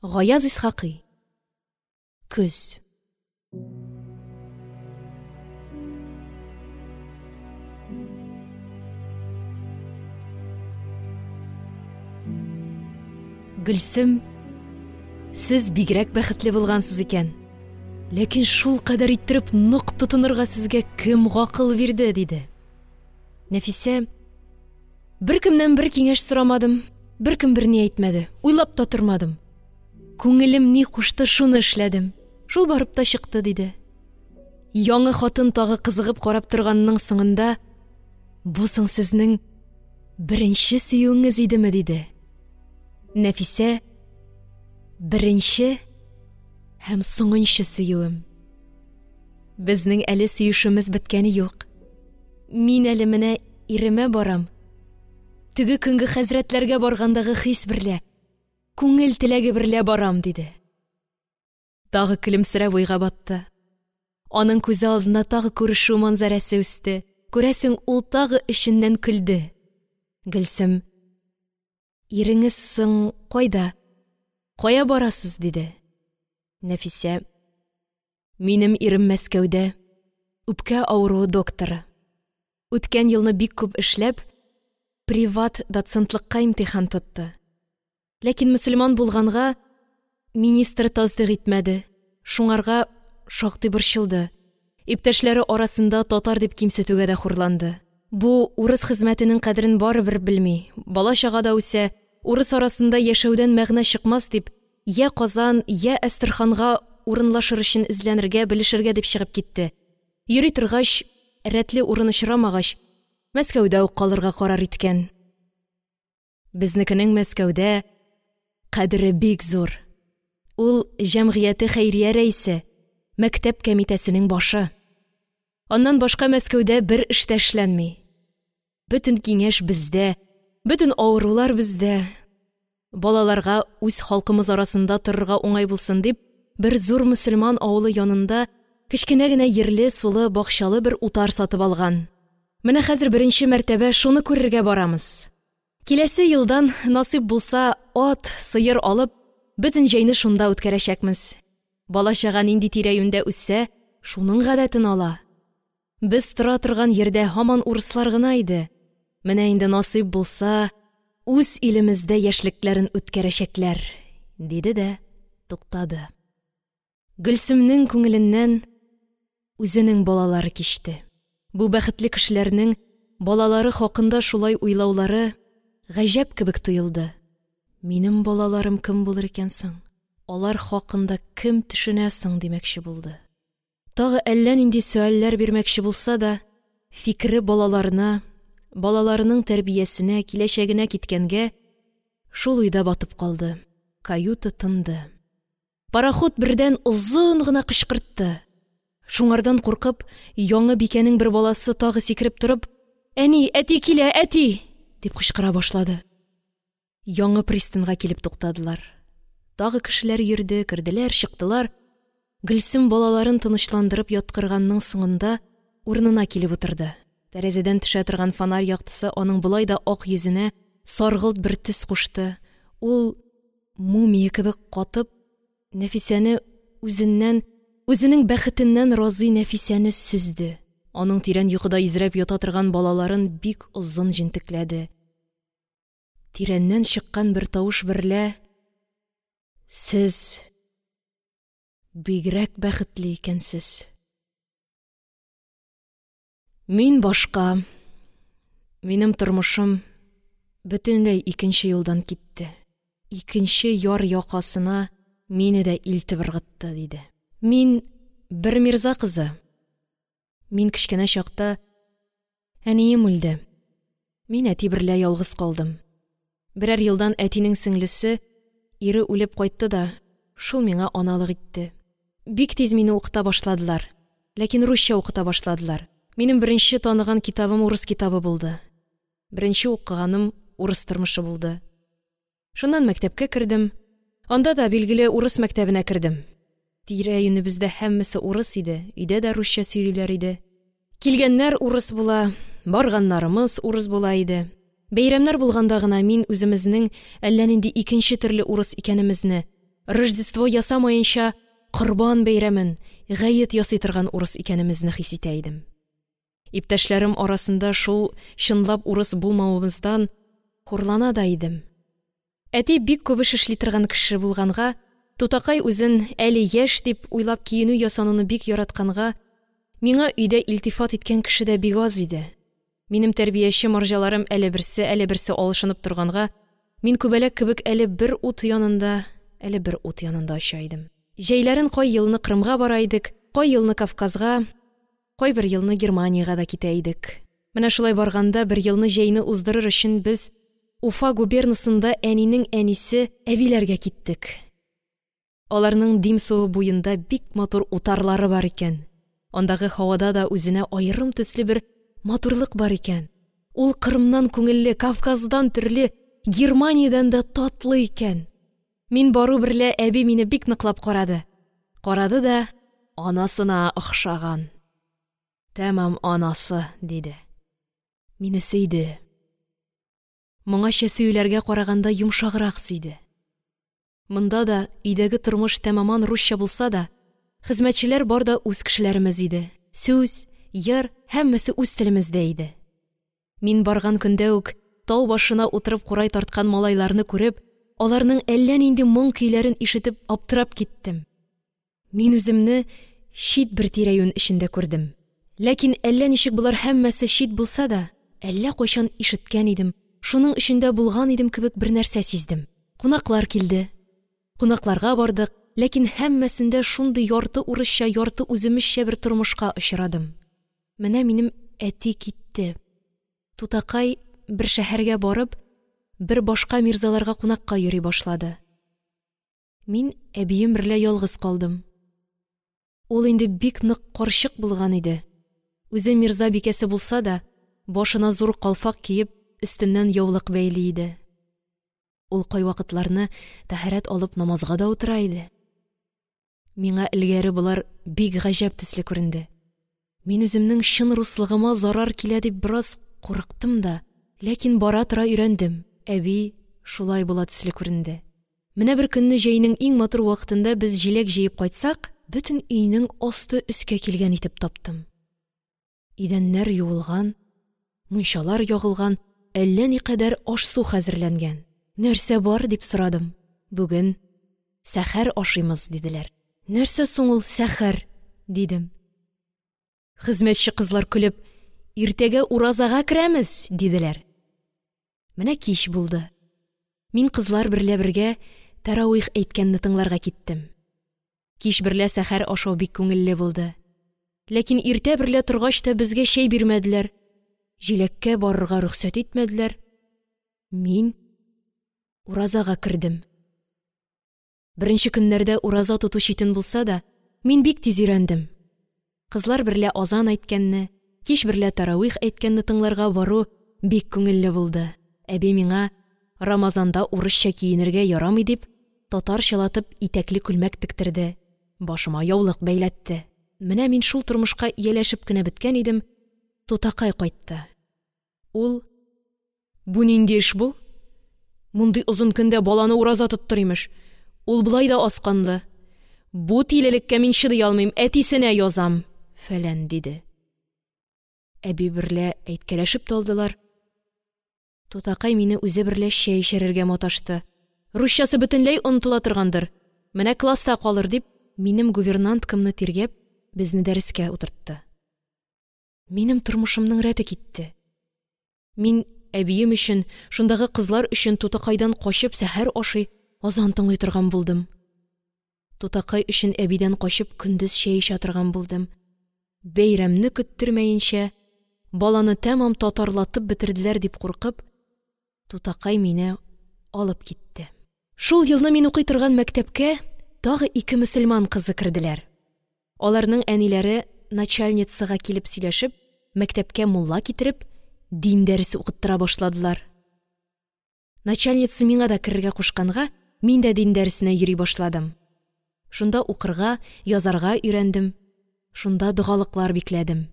Гаяз Исхакый. Көз. Гөлсем, сез бигрәк бәхетле булгансыз икән. Ләкин шулкадәр иттереп нык тотынырга сезгә кем гакыл бирде? – диде. Нәфисә, беркемнән бер киңәш сорамадым, беркем берни әйтмәде, уйлап та тормадым. Күңелем ни кушты, шуны эшләдем. Шул барып та чыкты, диде. Яңы хатын тагы кызыгып карап торганның соңында, «Бу соң сезнең беренче сөюеңез идеме?» – диде. Нәфисә, «Беренче һәм соңынчы сөюем. Безнең әле сөешүемез беткәне юк. Мин әле менә иремә барам. Теге көнге хәзрәтләргә баргандагы хис берлә, күңел теләге берлә барам, диде. Тагы көлемсерәп уйга батты. Аның күзе алдына тагы күрешү манзарәсе үсте. Күрәсең, ул тагы эченнән көлде. Гөлсем: «Иреңез соң кайда? Кая барасыз?» – диде. Нәфисә: «Минем ирем Мәскәүдә, үпкә авыруы докторы. Үткән елны бик күп эшләп, приват доцентлыкка имтихан тотты. Ләкин мөселман булганга, министр тасдыйк итмәде. Шуңарга шактый борчылды. Иптәшләре арасында татар дип кимсетүгә дә хурланды. Бу урыс хезмәтенең кадерен барыбер белми, бала-чага да үсә, урыс арасында яшәүдән мәгънә чыкмас дип, йә Казан, йә Әстерханга урынлашыр өчен эзләнергә, белешергә дип чыгып китте. Йөри торгач, рәтле урын очрамагач, Мәскәүдә үк калырга карар иткән. Безнекенең Мәскәүдә кадере бик зур. Ул җәмгыяте хәйрия рәисе, мәктәп кәмитәсенең башы. Аннан башка Мәскәүдә бер эш тә эшләнми. Бөтен киңәш бездә, бөтен авырулар бездә. Балаларга үз халкымыз арасында торырга уңай булсын дип, бер зур мөселман авылы янында кечкенә генә ерле, сулы, бакчалы бер утар сатып алган. Менә хәзер беренче мәртәбә шуны күрергә барамыз. Киләсе елдан, насыйп булса, ат, сыер алып, бөтен җәйне шунда үткәрәчәкмез. Бала-чага нинди тирә-юньдә үссә, шуның гадәтен ала. Без тора торган йирдә һаман урыслар гына иде. Менә инде насыйп булса, үз илемездә яшьлекләрен үткәрәчәкләр, диде дә туктады. Гөлсемнең күңеленнән үзенең балалары кичте. Бу бәхетле кешеләрнең балалары хакында шулай уйлаулары гаҗәп кебек тоелды. Минем балаларым кем булыр икән соң? Алар хакында кем төшенә соң димәкче булды. Тагы әллә нинди сөальләр бирмәкче булса да, фикере балаларына, балаларының тәрбиясенә, киләчәгенә киткәнгә, шул уйда батып калды. Каюта тынды. Пароход бердән озын гына кычкыртты. Шуңардан куркып, яңы бикәнең бер баласы тагы сикереп торып, «Әни, әти килә, әти!» дип кычкыра башлады. Яңы пристаньга килеп туктадылар. Тагы кешеләр йөрде, керделәр, чыктылар. Гөлсем балаларын тынычландырып яткырганның соңында урынына килеп утырды. Тәрәзәдән төшә торган фонарь яктысы аның болай да ак йөзенә саргылт бер төс кушты. Ул мумия кебек катып, Нәфисәне үзеннән, үзенең бәхетеннән разый Нәфисәне сөзде. Аның тирән йокыда изрәп ята торган балаларын бик озын җентекләде. Тирәннән чыккан бер тавыш берлә: «Сез бигрәк бәхетле икәнсез. Мин башка, минем тормышым бөтенләй икенче юлдан китте. Икенче яр якасына мине дә илтеп ыргытты, диде. Мин бер мирза кызы. Мин кечкенә чакта әнием үлде. Мин әти берлә ялгыз калдым. Берәр елдан әтинең сеңлесе, ире үлеп кайтты да, шул миңа аналык итте. Бик тиз мине укыта башладылар. Ләкин русча укыта башладылар. Минем беренче таныган китабым урыс китабы булды. Беренче укыганым урыс тормышы булды. Шуннан мәктәпкә кердем. Анда да, билгеле, урыс мәктәбенә кердем. Тирә-юнебездә һәммәсе урыс иде, өйдә дә русча сөйлиләр иде. Килгәннәр урыс була, барганнарымыз урыс була иде. Бәйрәмнәр булганда гына мин үземезнең әллә нинди икенче төрле урыс икәнемезне, Рождество ясамаенча, Корбан бәйрәмен, гает ясый торган урыс икәнемезне хис итә идем. Иптәшләрем арасында шул чынлап урыс булмавымыздан хурлана да идем. Әти бик күп эш эшли торган кеше булганга, тутакай үзен әле яшь дип уйлап киенү-ясануны бик яратканга, миңа өйдә илтифат иткән кеше дә бик аз иде. Минем тәрбияче марҗаларым әле берсе, әле берсе алышынып торганга, мин күбәләк кебек әле бер ут янында, әле бер ут янында оча идем. Җәйләрен кай елны Кырымга бара идек, кай елны Кавказга, кайбер елны Германиягә дә китә идек. Менә шулай барганда бер елны җәйне уздырыр өчен без Уфа губернасында әнинең әнисе әбиләргә киттек. Аларның Дим суы буенда бик матур утарлары бар икән. Андагы һавада да үзенә аерым төсле бер матурлык бар икән. Ул Кырымнан күңелле, Кавказдан төрле, Германиядән дә татлы икән. Мин бару берлә әби мине бик ныклап карады. Карады да, анасына охшаган. Тәмам анасы, диде. Мине сөйде. Моңача сөюләргә караганда йомшаграк сөйде. Монда да өйдәге тормыш тәмаман русча булса да, хезмәтчеләр бар да үз кешеләремез иде. Сүз, йыр һәммәсе үз телемездә иде. Мин барган көндә үк тау башына утырып курай тарткан малайларны күреп, аларның әллә нинди моң көйләрен ишетеп аптырап киттем. Мин үземне чит бер тирә-юнь эчендә күрдем. Ләкин әллә ничек болар һәммәсе чит булса да, әллә кайчан ишеткән идем, шуның эчендә булган идем кебек бер нәрсә сиздем. Кунаклар килде. Кунакларга бардык, ләкин һәммәсендә шундый ярты урысча, ярты үземезчә бер тормышка очрадым. Менә минем әти китте. Тутакай бер шәһәргә барып, бер башка мирзаларга кунакка йөри башлады. Мин әбием берлә ялгыз калдым. Ул инде бик нык карчык булган иде. Үзе мирза бикәсе булса да, башына зур калфак киеп, өстеннән яулык бәйли иде. Ул кайвакытларны тәһарәт алып намазга да утыра иде. Миңа элгәре болар бик гаҗәп төсле күренде. Мин үземнең чын руслыгыма зарар килә дип бераз курыктым да, ләкин бара-тора өйрәндем. Әби шулай була төсле күренде. Менә бер көнне җәйнең иң матур вакытында без җиләк җыеп кайтсак, бөтен өйнең асты өскә килгән итеп таптым. Идәннәр юылган, мунчалар ягылган, әллә никадәр аш-су хәзерләнгән. Нәрсә бар дип сорадым. Бүген сәхәр ашыймыз, диделәр. Нәрсә соң ул сәхәр? Дидем. Хезмәтче кызлар көлеп, иртәгә уразага керәмез, диделәр. Менә кич булды. Мин кызлар берлә бергә тәравих әйткәнне тыңларга киттем. Кич берлә сәхәр ашау бик күңелле булды. Ләкин иртә берлә торгач та безгә чәй бирмәделәр. Җиләккә барырга рөхсәт итмәделәр. Мин уразага кердем. Беренче көннәрдә ураза тоту читен булса да, мин бик тиз өйрәндем. Кызлар берлә азан әйткәнне, кич берлә тәравих әйткәнне тыңларга бару бик күңелле булды. Әби миңа Рамазанда урысча киенергә ярамый дип, татарчалатып итәкле күлмәк тектерде, башыма яулык бәйләтте. Менә мин шул тормышка ияләшеп кенә беткән идем, тутакай кайтты. Ул: "Бу нинди эш бу? Мондый озын көндә баланы ураза тоттыр имеш. Ул болай да аз канлы. Бу тилелеккә мин чыдый алмыйм, әтисенә язам", фәлән диде. Әби берлә әйткәләшеп тә алдылар. Тутакай мине үзе берлә чәй эчерергә маташты. Русчасы бөтенләй онытыла торгандыр. Менә класста калыр дип, минем гувернанткамны тиргәп, безне дәрескә утыртты. Минем тормышымның рәте китте. Мин әбием өчен, шундагы кызлар өчен тутакайдан качып сәхәр ашый, азан тыңлый торган булдым. Тутакай өчен әбидән качып көндез чәй эчә торган булдым. Бәйрәмне көттермәенчә, баланы тәмам татарлатып бетерделәр дип куркып, тутакай мине алып китте. Шул елны мин укый торган мәктәпкә тагы ике мөселман кызы керделәр. Аларның әниләре начальницага килеп сөйләшеп, мәктәпкә мулла китереп, дин дәресе укыттыра башладылар. Начальница миңа да керергә кушканга, мин дә дин дәресенә йөри башладым. Шунда укырга, язарга өйрәндем. Шунда догалыклар бикләдем.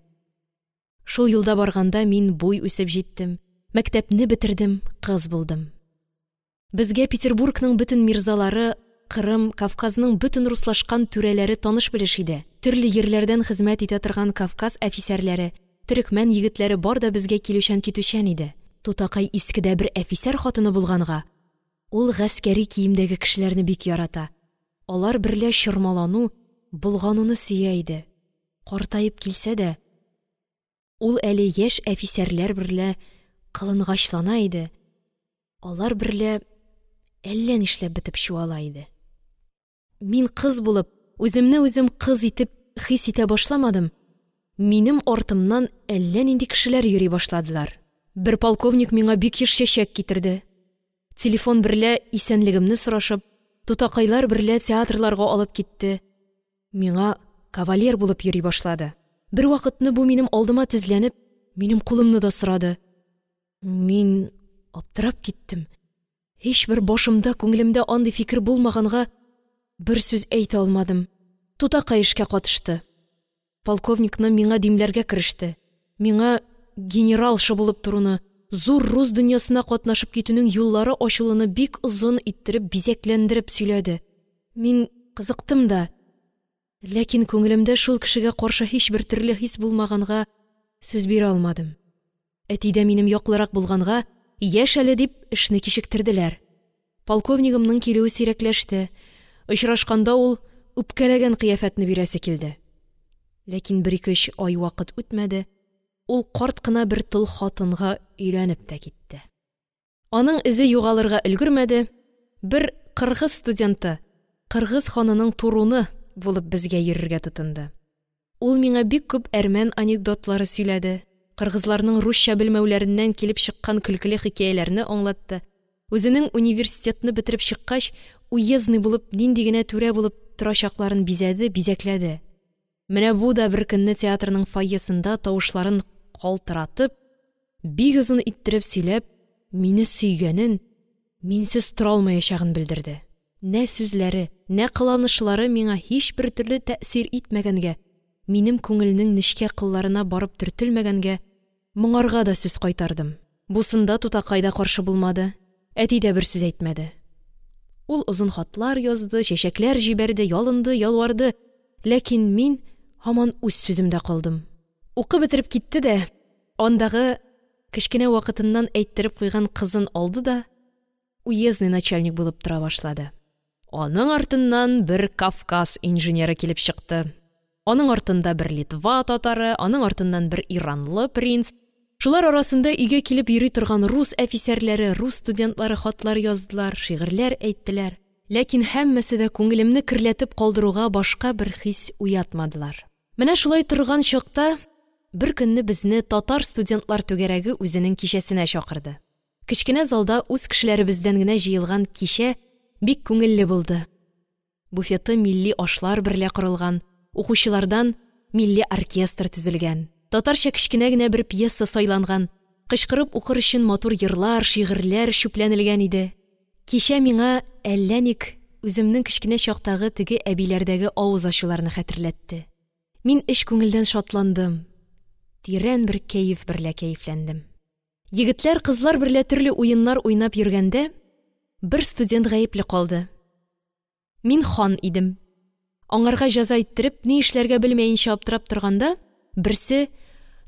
Шул юлда барганда мин буй үсеп җиттем, мәктәпне бетердем, кыз булдым. Безгә Петербургның бөтен мирзалары Кырым, Кавказның бөтен руслашкан түрәләре таныш-белеш иде. Төрле йирләрдән хезмәт итә торган Кавказ әфисәрләре, төрекмән егетләре бар да безгә килүчән-китүчән иде. Тутакай искедә бер әфисәр хатыны булганга, ул гаскәри киемдәге кешеләрне бик ярата, алар берлә чормалану, болгануны сөя иде. Картаеп килсә дә, ул әле яшь әфисәрләр берлә кылынгачлана иде, алар берлә әллә нишләп бетеп чуала иде. Мин кыз булып, үземне үзем кыз итеп хис итә башламадым, минем артымнан әллә нинди кешеләр йөри башладылар. Бер полковник миңа бик еш чәчәк китерде. Телефон берлә исәнлегемне сорашып, тутакайлар берлә театрларга алып китте. Миңа кавалер булып йөри башлады. Бервакытны бу минем алдыма тезләнеп, минем кулымны да сорады. Мин аптырап киттем. Һичбер башымда, күңелемдә андый фикер булмаганга, бер сүз әйтә алмадым. Тутакай эшкә катышты. Полковникны миңа димләргә кереште. Миңа генералша булып торуны, зур рус дөньясына катнашып китүнең юллары ачылуны бик озын иттереп, бизәкләндереп сөйләде. Мин кызыктым да, ләкин күңелемдә шул кешегә каршы һичбер төрле хис булмаганга сүз бирә алмадым. Әти дә минем яклырак булганга, яшь әле дип, эшне кичектерделәр. Полковнигымның килүе сирәкләште. Очрашканда ул үпкәләгән кыяфәтне бирәсе килде. Ләкин бер-ике-өч ай вакыт үтмәде, ул карт кына бер тол хатынга өйләнеп тә китте. Аның эзе югалырга өлгермәде, бер кыргыз студенты, кыргыз ханының туруны булып безгә йөрергә тотынды. Ул миңа бик күп әрмән анекдотлары сөйләде, кыргызларның русча белмәүләреннән килеп чыккан көлкеле хикәяләрне аңлатты. Үзенең университетны бетереп чыккач, уездный булып нинди генә түрә булып торачакларын бизәде, бизәкләде. Менә бу да беркөнне театрның фойесында тавышларын калтыратып, бик озын иттереп сөйләп, мине сөйгәнен, минсез тора алмаячагын белдерде. Нә сүзләре, нә кыланышлары миңа һичбер төрле тәэсир итмәгәнгә, минем күңелнең нечкә кылларына барып төртелмәгәнгә, моңарга да сүз кайтардым. Бусында тутакай да каршы булмады, әти дә бер сүз әйтмәде. Ул озын хатлар язды, чәчәкләр җибәрде, ялынды, ялварды, ләкин мин һаман үз сүземдә калдым. Укып бетереп китте дә, андагы кечкенә вакытыннан әйттереп куйган кызын алды да, уездный начальник булып тора башлады. Аның артыннан бер Кавказ инженеры килеп чыкты. Аның артында бер Литва татары, аның артыннан бер иранлы принц. Шулар арасында өйгә килеп йөри торган рус әфисәрләре, рус студентлары хатлар яздылар, шигырьләр әйттеләр. Ләкин һәммәсе дә күңелемне керләтеп калдыруга башка бер хис уятмадылар. Менә шулай торган чакта бер көнне безне татар студентлар түгәрәге үзенең кичәсенә чакырды. Кечкенә залда үз кешеләребездән генә җыелган кичә бик күңелле булды. Буфеты милли ашлар берлә корылган, укучылардан милли оркестр төзелгән. Татарча кечкенә генә бер пьеса сайланган, кычкырып укыр өчен матур йырлар, шигырьләр чүпләнелгән иде. Кичә миңа әллә ник үземнең кечкенә чактагы теге әбиләрдәге авыз ачуларны хәтерләтте. Мин эч күңелдән шатландым, тирән бер кәеф берлә кәефләндем. Егетләр, кызлар берлә төрле уеннар уйнап йөргәндә, бер студент гаепле калды. Мин хан идем. Аңарга җәза иттереп, ни эшләргә белмәенчә аптырап торганда, берсе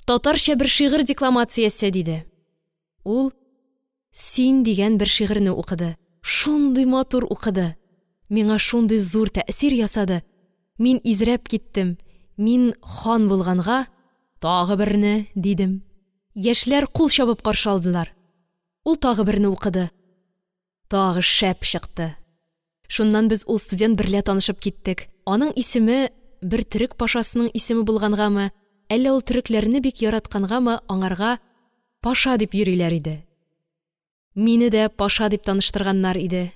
татарча бер шигырь декламациясе диде. Ул «Син» дигән бер шигырьне укыды. Шундый матур укыды. Миңа шундый зур тәэсир ясады. Мин изрәп киттем. Мин хан булганга тагы берне дидем. Яшьләр кул чабып каршы алдылар. Ул тагы берне укыды. Тагы шәп чыкты. Шуннан без ул студент берлә танышып киттек. Аның исеме бер төрек пашасының исеме булгангамы, әллә ул төрекләрне бик яраткангамы, аңарга Паша дип йөриләр иде. Мине дә Паша дип таныштырганнар иде.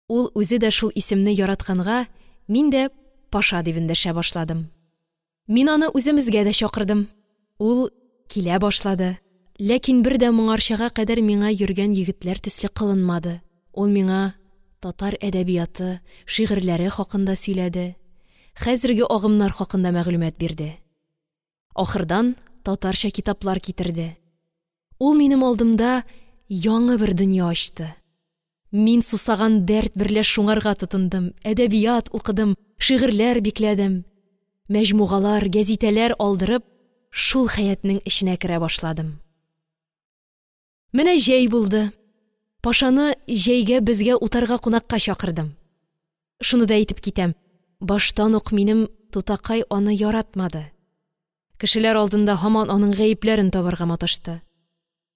Ул үзе дә шул исемне яратканга, мин дә Паша дип эндәшә башладым. Мин аны үземезгә дә чакырдым. Ул килә башлады. Ләкин бер дә моңарчага кадәр миңа йөргән егетләр төсле кылынмады. Ул миңа татар әдәбияты, шигырьләре хакында сөйләде, хәзерге агымнар хакында мәгълүмат бирде. Ахырдан татарча китаплар китерде. Ул минем алдымда яңа бер дөнья ачты. Мин сусаган дәрт берлә шуңарга тотындым, әдәбият укыдым, шигырьләр бикләдем. Мәҗмугалар, гәзитәләр алдырып, шул хәятның эченә керә башладым. Менә җәй булды. Пашаны җәйгә безгә утарга кунакка чакырдым. Шуны да әйтеп китәм: баштан ук минем тутакай аны яратмады. Кешеләр алдында һаман аның гаепләрен табарга маташты.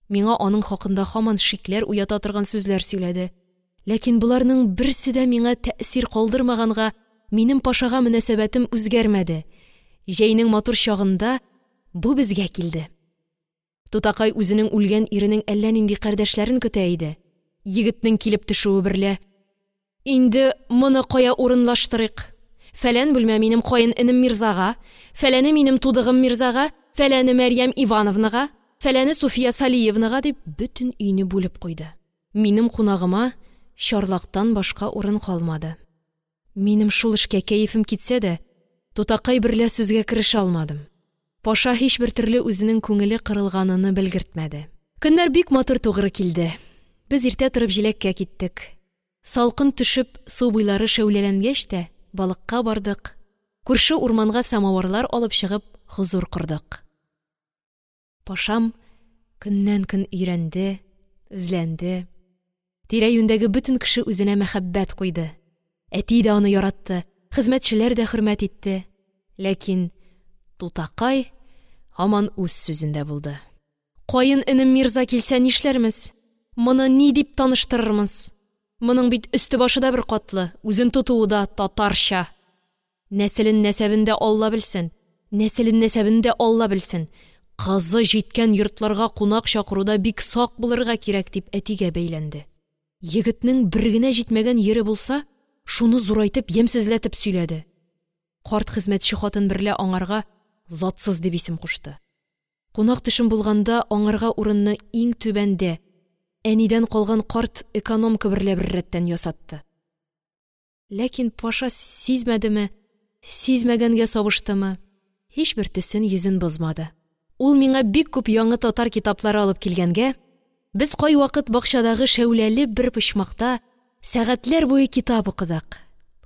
Миңа аның хакында һаман шикләр уята торган сүзләр сөйләде. Ләкин боларның берсе дә миңа тәэсир калдырмаганга, минем Пашага мөнәсәбәтем үзгәрмәде. Җәйнең матур чагында бу безгә килде. Тутакай үзенең үлгән иренең әллә нинди кардәшләрен көтә иде. Егетнең килеп төшүе берлә: «Инде моны кая урынлаштырыйк? Фәлән бүлмә минем каенэнем Мирзага, фәләне минем тудыгым Мирзага, фәләне Мәрьям Ивановнага, фәләне Суфия Салиевнага», – дип, бөтен өйне бүлеп куйды. Минем кунагыма чарлактан башка урын калмады. Минем шул эшкә кәефем китсә дә, тутакай берлә сүзгә керешә алмадым. Паша һичбер төрле үзенең күңеле кырылганыны белгертмәде. Көннәр бик матур тугры килде. Без иртә торып җиләккә киттек. Салкын төшеп, су буйлары шәүләләнгәч тә, балыкка бардык. Күрше урманга самавырлар алып чыгып, хозур кордык. Пашам көннән-көн өйрәнде, үзләнде. Тирә-юньдәге бөтен кеше үзенә мәхәббәт куйды. Әти дә аны яратты, хезмәтчеләр дә хөрмәт итте. Ләкин тутакай һаман үз сүзендә булды. «Каен энем Мирза килсә нишләрмез? Моны ни дип таныштырырмыз? Моның бит өсте-башы да беркатлы, үзен тотуы да татарча. Нәселен-нәсәбен дә Алла белсен, нәселен-нәсәбен дә Алла белсен. Кызы җиткән йортларга кунак чакыруда бик сак булырга кирәк», – дип әтигә бәйләнде. Егетнең бер генә җитмәгән йире булса, шуны зурайтып, ямьсезләтеп сөйләде. Карт хезмәтче хатын берлә аңарга затсыз дип исем кушты. Кунак төшем булганда, аңарга урынны иң түбәндә, әнидән калган карт экономка берлә беррәттән ясатты. Ләкин Паша сизмәдеме, сизмәгәнгә сабыштымы, һичбер төсен, йөзен бозмады. Ул миңа бик күп яңы татар китаплары алып килгәнгә, без кайвакыт бакчадагы шәүләле бер почмакта сәгатьләр буе китап укыдык.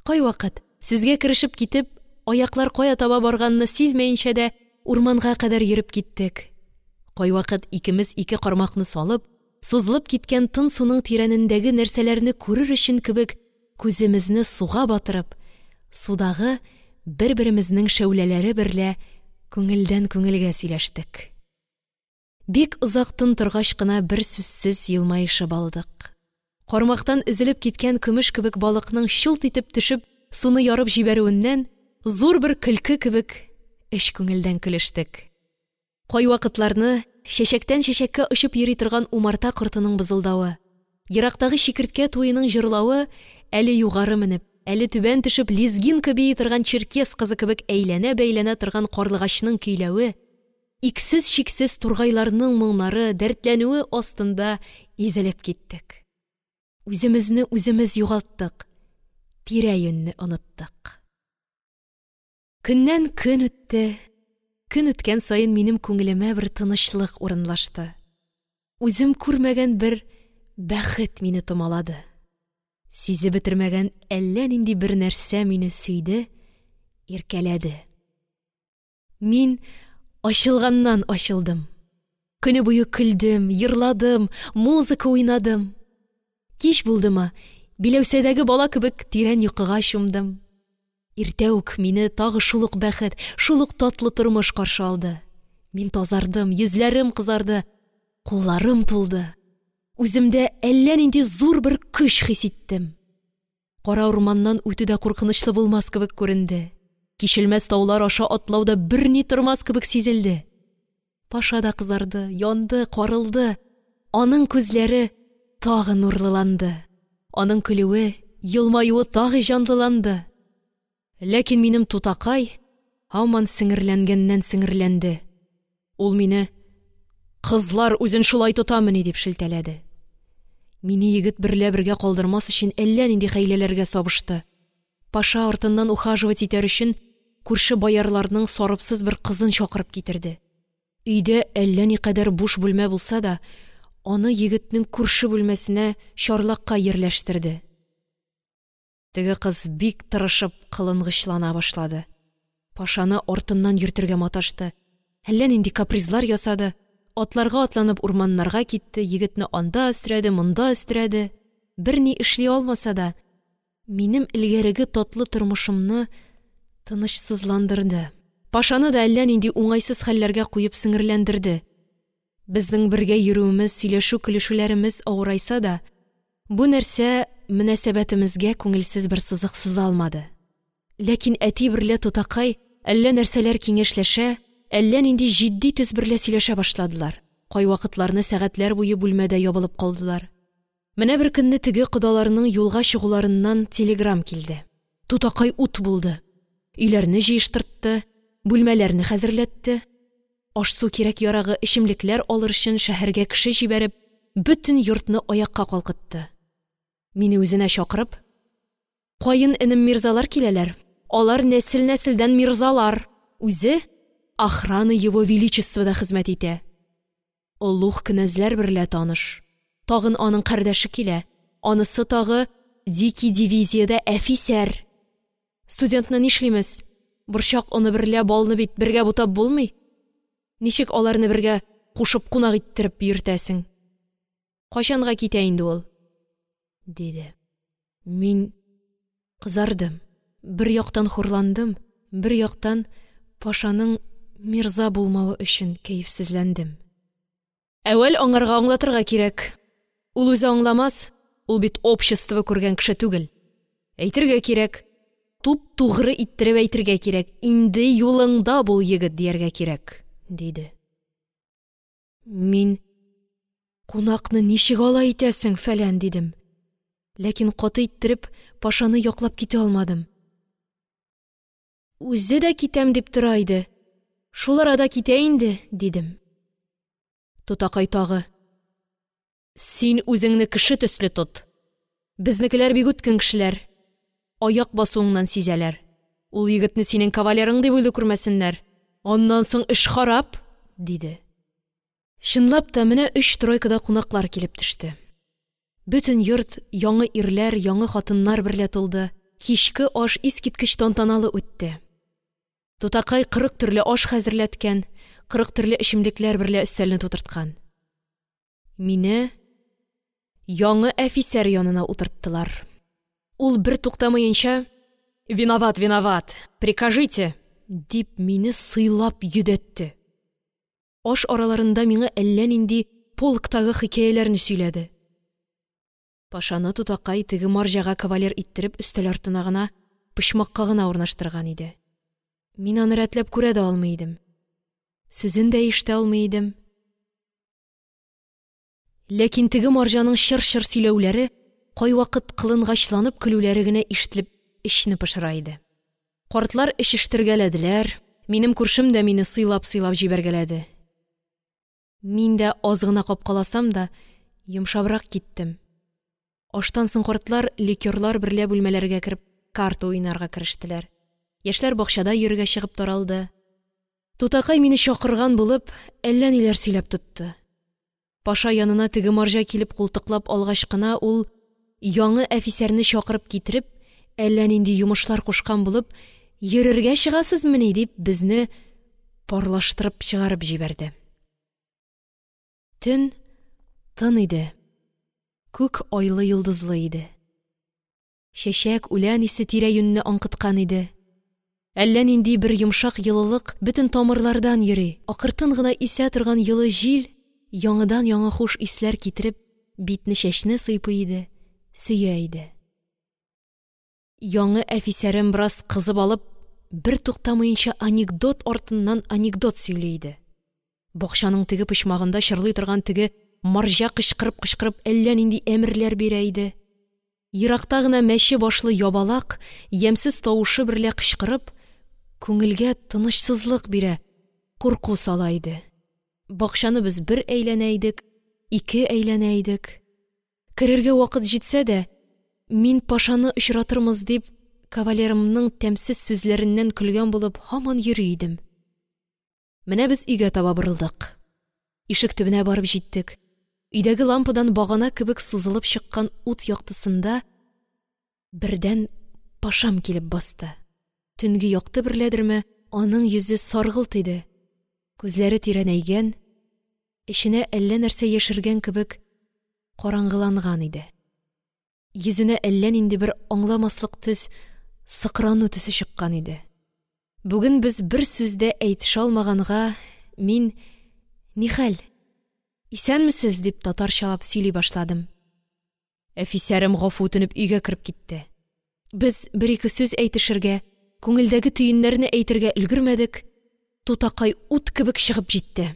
Кайвакыт, сүзгә керешеп китеп, аяклар кая таба барганны сизмәенчә дә урманга кадәр йөреп киттек. Кайвакыт икемез ике кармакны салып, сузылып киткән тын суның тирәнендәге нәрсәләрне күрер өчен кебек күземезне суга батырып, судагы бер-беремезнең шәүләләре берлә күңелдән күңелгә сөйләштек. Бик озак тын торгач кына бер сүзсез елмаешып алдык. Кармактан өзелеп киткән көмеш кебек балыкның чулт итеп төшеп, суны ярып җибәрүеннән зур бер көлке кебек эч күңелдән көлештек. Кайвакытларны чәчәктән чәчәккә очып йөри торган умарта кортының бызылдавы, ерактагы чикерткә туеның җырлавы әле югары менеп, әле түбән төшеп лезгинка бии торган черкес кызы кебек әйләнә-бәйләнә торган карлыгачның көйләве, иксез-чиксез тургайларның моңнары, дәртләнүе астында изелеп киттек. Үземезне үземез югалттык, тирә-юньне оныттык. Көннән көн үтте. Көн үткән саен минем күңелемә бер тынычлык урынлашты. Үзем күрмәгән бер бәхет мине томалады. Сизеп бетермәгән әллә нинди бер нәрсә мине сөйде, иркәләде. Мин ачылганнан ачылдым. Көне буе көлдем, йырладым, музыка уйнадым. Кич булдымы, биләүсәдәге бала кебек тирән йокыга чумдым. Иртә үк мине тагы шул ук бәхет, шул ук татлы тормыш каршы алды. Мин тазардым, йөзләрем кызарды, кулларым тулды. Үземдә әллә нинди зур бер көч хис иттем. Кара урманнан үтү дә куркынычлы булмас кебек күренде. Кичелмәс таулар аша атлау да берни тормас кебек сизелде. Паша да кызарды, янды, карылды. Аның күзләре тагы нурлыланды. Аның көлүе, елмаюы тагы җанлыланды. Ләкин минем тутакай һаман сеңерләнгәннән сеңерләнде. Ул мине: «Кызлар үзен шулай тотамыни?» – дип шелтәләде. Мине егет берлә бергә калдырмас өчен әллә нинди хәйләләргә сабышты. Паша артыннан ухаживать итәр өчен күрше боярларның сарыпсыз бер кызын чакырып китерде. Өйдә әллә никадәр буш бүлмә булса да, аны егетнең күрше бүлмәсенә чарлакка йирләштерде. Теге кыз бик тырышып кылынгычлана башлады. Пашаны артыннан йөртергә маташты. Әллә нинди капризлар ясады. Атларга атланып урманнарга китте, егетне анда өстерәде, монда өстерәде. Берни эшли алмаса да, минем элгәреге татлы тормышымны тынычсызландырды. Пашаны да әллә нинди уңайсыз хәлләргә куеп сеңерләндерде. Безнең бергә йөрүемез, сөйләшү-көлешүләремез авырайса да, бу нәрсә мөнәсәбәтемезгә күңелсез бер сызык сыза алмады. Ләкин әти берлә тутакай әллә нәрсәләр киңәшләшә, әллә нинди җитди төс берлә сөйләшә башладылар. Кайвакытларны сәгатьләр буе бүлмәдә ябылып калдылар. Менә бер көнне теге кодаларның юлга чыгуларыннан телеграм килде. Тутакай ут булды. Өйләрне җыештыртты, бүлмәләрне хәзерләтте. Аш-су кирәк-ярагы, эчемлекләр алыр өчен шәһәргә кеше җибәреп, бөтен йортны аякка калкытты. Мине үзенә чакырып: «Каен энем мирзалар киләләр. Алар нәсел-нәселдән мирзалар. Үзе охрана его величествода хезмәт итә. Олуг кенәзләр берлә таныш. Тагын аның кардәше килә. Анысы тагы дикий дивизиядә әфисәр. Студентны нишлимез? Борчак оны берлә балны бит бергә бутап булмый. Ничек аларны бергә кушып кунак иттереп йөртәсең? Кайчанга китә инде ул?» – диде. Мин кызардым. Бер яктан хурландым, бер яктан Пашаның мирза булмавы өчен кәефсезләндем. «Әүвәл аңарга аңлатырга кирәк. Ул үзе аңламас, ул бит общество күргән кеше түгел. Әйтергә кирәк, туп-тугры иттереп әйтергә кирәк, инде юлыңда бул, егет, дияргә кирәк», – диде. Мин: «Кунакны ничек алай итәсең, фәлән», – дидем. Ләкин каты иттереп Пашаны яклап китә алмадым. «Үзе дә китәм дип тора иде. Шул арада китә инде», – дидем. Тутакай тагы: «Син үзеңне кеше төсле тот. Безнекеләр бик үткен кешеләр. Аяк басуыңнан сизәләр. Ул егетне синең кавалерың дип уйлый күрмәсеннәр. Аннан соң эш харап», – диде. Чынлап та, менә 3 тройкада кунаклар килеп төште. Бөтен йорт яңы ирләр, яңы хатыннар берлә тулды. Кичке аш искиткеч тантаналы үтте. Тутакай 40 төрле аш хәзерләткән, 40 төрле эчемлекләр берлә өстәлне тутырткан. Мине яңы әфисәр янына утырттылар. Ул бер туктамаенча: «Виноват, виноват, прикажите!» – дип мине сыйлап йөдәтте. Аш араларында миңа әллә нинди полктагы хикәяләрне сөйләде. Пашаны тутакай теге марҗага кавалер иттереп өстәл артына гына, почмакка гына урнаштырган иде. Мин аны рәтләп күрә дә алмый идем. Сүзен дә ишетә алмый идем. Ләкин теге марҗаның чыр-чыр сөйләүләре, кайвакыт кылынгачланып көлүләре генә ишетелеп эчне пошыра иде. Картлар эчештергәләделәр, минем күршем дә мине сыйлап-сыйлап җибәргәләде. Мин дә аз гына капкаласам да, йомшабрак киттем. Аштан соң картлар ликерлар берлә бүлмәләргә кереп карта уйнарга керештеләр. Яшьләр бакчада йөрергә чыгып таралды. Тутакай мине чакырган булып, әллә ниләр сөйләп тотты. Паша янына теге марҗа килеп култыклап алгач кына ул яңы әфисәрне чакырып китереп, әллә нинди йомышлар кушкан булып, «Йөрергә чыгасызмыни?» дип безне парлаштырып чыгарып җибәрде. Төн тын иде. Күк айлы йолдызлы иде. Чәчәк, үлән исе тирә-юньне аңкыткан иде. Әллә нинди бер йомшак йылылык бөтен тамырлардан йөри, акыртын гына исә торган йылы җил яңадан-яңа хуш исләр китереп, битне-чәчне сыйпый иде, сөя иде. Яңы әфисәрем бераз кызып алып, бер туктамыйча анекдот артыннан анекдот сөйли иде. Бакчаның теге почмагында чырлый торган теге марҗа кычкырып-кычкырып әллә нинди әмерләр бирә иде. Еракта гына мәче башлы ябалак, ямьсез тавышы берлә кычкырып, күңелгә тынычсызлык бирә, курку сала иде. Бакчаны без бер әйләнә идек, ике әйләнә идек. Керергә вакыт җитсә дә, мин Пашаны очратырмыз дип, кавалерымның тәмсез сүзләреннән көлгән булып һаман йөри идем. Менә без өйгә таба борылдык. Ишек төбенә барып җиттек. Өйдәге лампадан багана кебек сузылып чыккан ут яктысында бердән Пашам килеп басты. Төнге якты берләдерме, аның йөзе саргылт иде, күзләре тирәнәйгән, эченә әллә нәрсә яшергән кебек караңгыланган иде. Йөзенә әллә нинди бер аңламаслык төс, сыкрану төсе чыккан иде. Бүген без бер сүз дә әйтешә алмаганга, мин: «Нихәл, исәнмесез?» – дип, татарчалап сөйли башладым. Әфисәрем гафу үтенеп өйгә кереп китте. Без бер-ике сүз әйтешергә, күңелдәге төеннәрне әйтергә өлгермәдек, тутакай ут кебек чыгып җитте.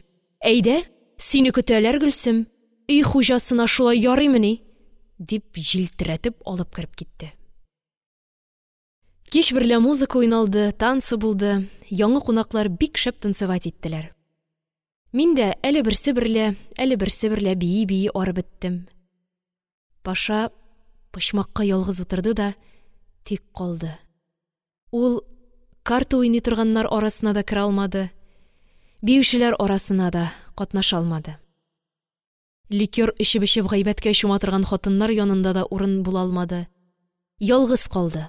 «Әйдә, сине көтәләр, Гөлсем, өй хуҗасына шулай ярыймыни?» – дип җилтерәтеп алып кереп китте. Кич берлә музыка уйналды, танцы булды, яңы кунаклар бик шәп танцевать иттеләр. Мин дә әле берсе берлә, әле берсе берлә бии-бии арып беттем. Паша почмакка ялгыз утырды да тик калды. Ул карта уйный торганнар арасына да керә алмады, биючеләр арасына да катнаша алмады. Ликёр эчеп-эчеп гайбәткә чума торган хатыннар янында да урын була алмады. Ялгыз калды.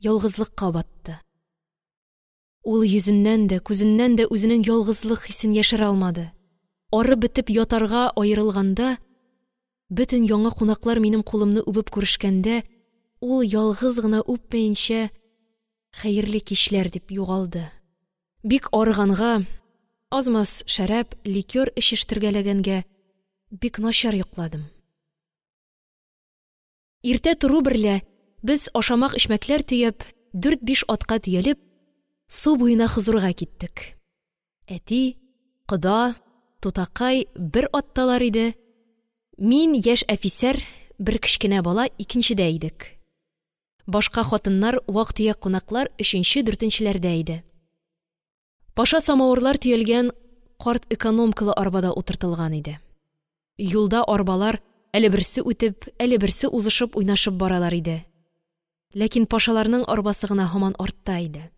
Ялгызлыкка батты. Ул йөзеннән дә, күзеннән дә үзенең ялгызлык хисен яшерә алмады. Арып бетеп ятарга аерылганда, бөтен яңа кунаклар минем кулымны үбеп күрешкәндә, ул ялгыз гына үпмәенчә, хәерле кичләр дип югалды. Бик арыганга, аз-маз шәраб, ликёр эчештергәләгәнгә бик начар йокладым. Иртә тору берлә без ашамак-эчмәкләр төяп, 4-5 атка төялеп, су буена хозурга киттек. Әти, кода, тутакай бер атталар иде. Мин, яшь әфисәр, бер кечкенә бала икенчедә идек. Башка хатыннар, вак-төяк кунаклар өченче-дүртенчеләрдә иде. Паша самавырлар төялгән карт экономкалы арбада утыртылган иде. Юлда арбалар әле берсе үтеп, әле берсе узышып уйнашып баралар иде. Ләкин пашаларның арбасы гына һаман артта иде.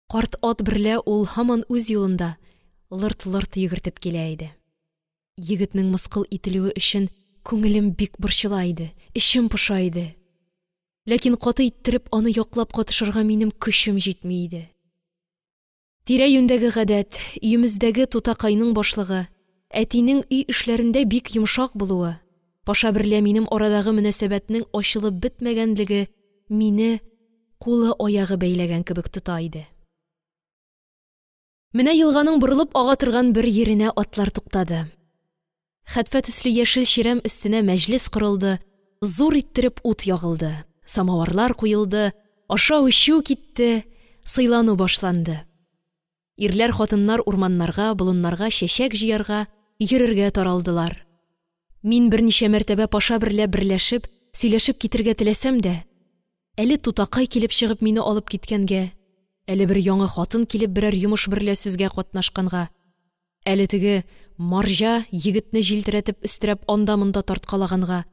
Карт ат берлә ул һаман үз юлында лырт-лырт йөгертеп килә иде. Егетнең мыскыл ителүе өчен күңелем бик борчыла иде, эчем поша иде. Ләкин каты иттереп аны яклап катышырга минем көчем җитми иде. Тирә-юньдәге гадәт, өемездәге тутакайның башлыгы, әтинең өй эшләрендә бик йомшак булуы, Паша берлә минем арадагы мөнәсәбәтнең ачылып бетмәгәнлеге мине кулы аягы бәйләгән кебек тота иде. Менә елганың борылып ага торган бер йиренә атлар туктады. Хәтфә төсле яшел чирәм өстенә мәҗлес корылды, зур иттереп ут ягылды, самавырлар куелды, ашау-эчү китте, сыйлану башланды. Ирләр, хатыннар урманнарга, болыннарга чәчәк җыярга, йөрергә таралдылар. Мин берничә мәртәбә Паша берлә берләшеп, сөйләшеп китергә теләсәм дә, әле тутакай килеп чыгып мине алып киткәнгә, әле бер яңы хатын килеп берәр йомыш берлә сүзгә катнашканга, әле теге марҗа егетне җилтерәтеп өстерәп анда-монда тарткалаганга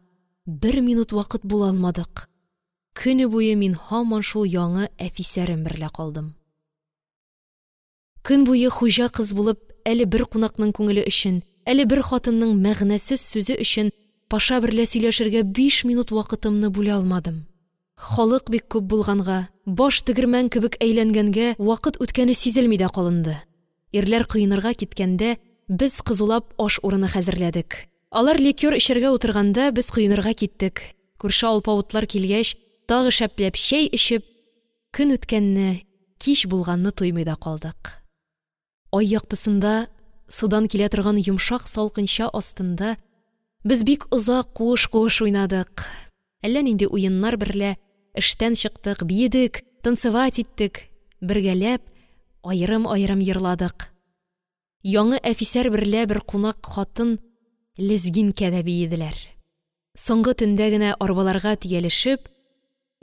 бер минут вакыт була алмадык. Көне буе мин һаман шул яңы әфисәрем берлә калдым. Көн буе хуҗа кыз булып, әле бер кунакның күңеле өчен, әле бер хатынның мәгънәсез сүзе өчен Паша берлә сөйләшергә 5 минут вакытымны бүлә алмадым. Халык бик күп булганга, баш тегермән кебек әйләнгәнгә вакыт үткәне сизелми дә калынды. Ирләр коенырга киткәндә, без кызулап аш урыны хәзерләдек. Алар ликёр эчәргә утырганда, без коенырга киттек. Күрше алпавытлар килгәч, тагы шәпләп чәй эчеп, көн үткәнне, кич булганны тоймый да калдык. Ай яктысында, судан килә торган йомшак салкынча астында без бик озак куыш-куыш уйнадык. Әллә нинди уеннар берлә эштән чыктык, биедек, танцевать иттек, бергәләп аерым-аерым йырладык. Яңы әфисәр берлә бер кунак хатын лезгинкә дә биеделәр. Соңгы төндә генә арбаларга төялешеп,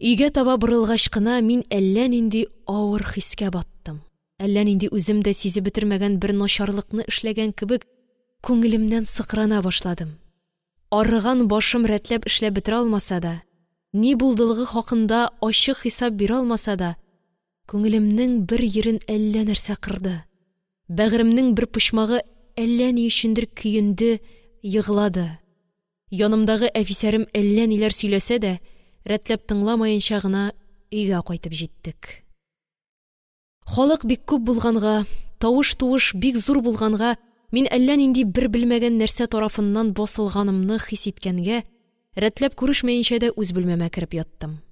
өйгә таба борылгач кына мин әллә нинди авыр хискә баттым. Әллә нинди үзем дә сизеп бетермәгән бер начарлыкны эшләгән кебек күңелемнән сыкрана башладым. Арыган башым рәтләп эшләп бетерә алмаса да, ни булдылыгы хакында ачык хисап бирә алмаса да, күңелемнең бер ерен әллә нәрсә кырды. Бәгыремнең бер почмагы әллә ни өчендер көенде, Еглады. Янымдагы әфисәрем әллә ниләр сөйләсә дә, рәтләп тыңламаенча гына өйгә кайтып җиттек. Халык бик күп булганга, тавыш-туыш бик зур булганга, мин әллә нинди бер белмәгән нәрсә тарафыннан басылганымны хис иткәнгә, рәтләп күрешмәенчә дә үз бүлмәмә кереп яттым.